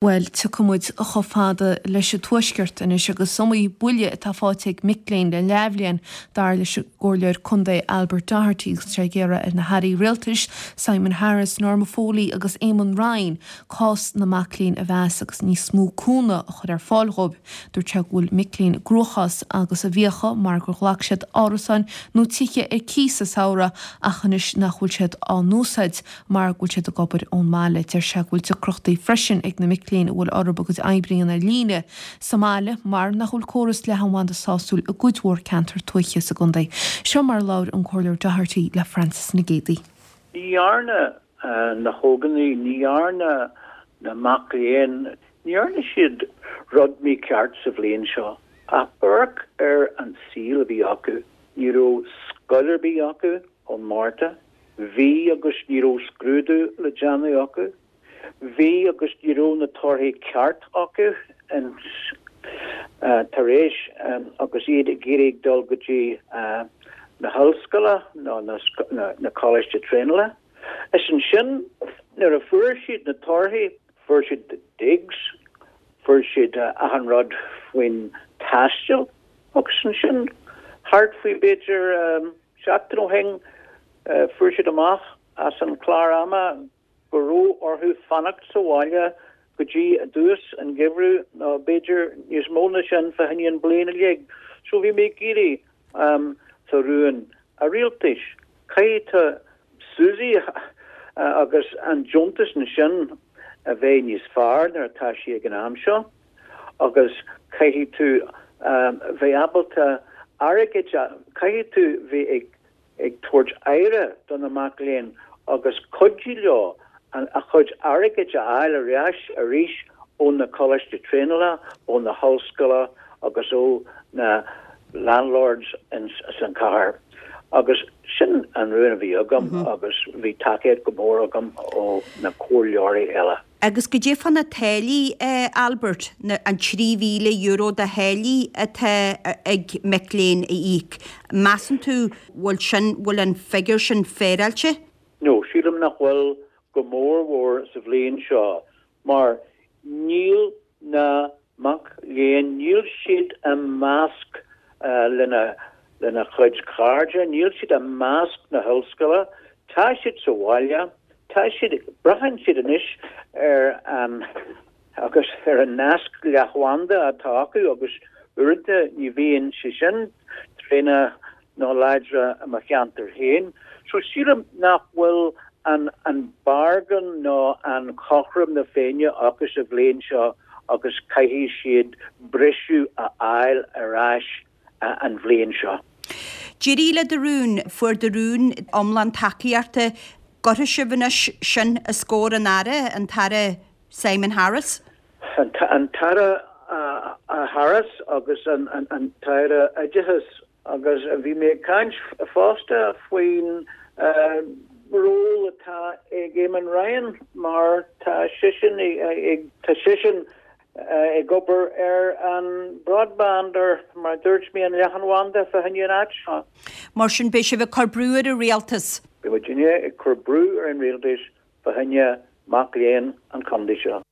Bhuel, tiocfaidh muid chomh fada leis an Tuaisceart anois agus is iomaí buille atá faighte ag mic léinn le leathbhliain, dar leis an gComhairleoir Contae Albert Doherty agus tá sé ag iarraidh ar na hAirí Rialtais, Simon Harris, Norma Foley agus Eamon Ryan cás na mac léinn a mheas agus níos mó cúnamh a chur ar fáil dhóibh. Dúirt sé go bhfuil mic léinn i gcruachás agus i bhfiacha mar gur ghlac siad árasáin nó tithe ar cíos sa samhradh ach anois nach bhfuil siad á n-úsáid mar go bhfuil siad ag obair ón mbaile. Deir sé go bhfuil deacrachtaí freisin ag na mic léinn a bhfuil orthu a gcuid oibre a dhéanamh ar líne sa mbaile mar nach bhfuil córas leathanbhanda sásúil i gcuid mhór ceantar tuaithe sa gcontae. Seo mar a labhair an Comhairleoir Doherty le Francis Nic Géadaigh. Ní dhearna na hógánaigh, ní dhearna na mac léinn, ní dhearna siad rud mícheart sa bhliain seo. Ach amharc ar an saol a bhí acu, ní raibh scoil ar bith acu ón Márta, Bhí agus ní raibh scrúdú le déanamh acu. Bhí agus ní raibh na torthaí ceart acu tar éis agus iad ag iarraidh dul go dtí na hollscoile nó na coláiste traenála. Is ansin nuair a fuair siad na torthaí, fuair siad digs, fuair siad achan rud faoin taisteal agus ansin thart faoi b'fhéidir Seachtain ó shin fuair siad amach as an chlár ama go raibh orthu fanacht sa bhaile go dtí i dtús an gheimhridh nó b'fhéidir níos mó ná sin fá choinne an bliain uilig. So bhí mé ag iarraidh sa rún a rialtais, caithfidh tú Suzy agus an deontas ansin a bheith níos fearr nuair atá sí ag an am seo agus caithfidh tú bheith ábalta airgead a, caithfidh tú bheith ag ag tabhairt aire do na mac léinn agus cuidiú leo a chuid airgid a fháil ar ais arís ó na coláiste traenála, ó na hollscoile agus ó na landlords ins an chathair. Agus sin an rún a bhí agam agus bhí tacaíocht go mór agam ó na comhairleoirí eile. Agus goidé fá na táillí, Albert, na, an €3,000 de tháillí atá ag mic léinn a íoc, measann tú bhfuil sin, bhfuil an figiúr sin féaráilte? No, sílim nach bhfuil, go mór mhór sa bhliain seo, mar níl na mac léinn, níl siad i measc lena lena chuid cairde, níl siad i measc na hollscoile, tá siad sa bhaile, tá siad, braitheann siad anois ar an agus ar an nasc leathbhanda atá acu agus uaireanta ní bhíonn sé sin tréan nó láidre i mo cheantar féin. So sílim nach bhfuil an an bargain nó an chothrom na Féinne acu sa bhliain seo agus caithfidh siad briseadh a fháil ar ais an bhliain seo. D'éirigh le do rún, fuair do rún iomlán tacaíochta. Cuirfidh sibh anois sin os comhair an Aire, an tAire Simon Harris? An tAire Harris agus an tAire Oideachais Agus bhí mé ag caint fosta faoin ról atá ag Eamon Ryan mar tá seisean ag tá seisean ag obair ar an broadband ar mar a dúirt mé an leathanbhanda fá choinne an áit seo. Mar sin beidh sibh ag cur brú ar an rialtas. Beidh muidinne ag cur brú ar an rialtas fá choinne mac léinn an chontae seo.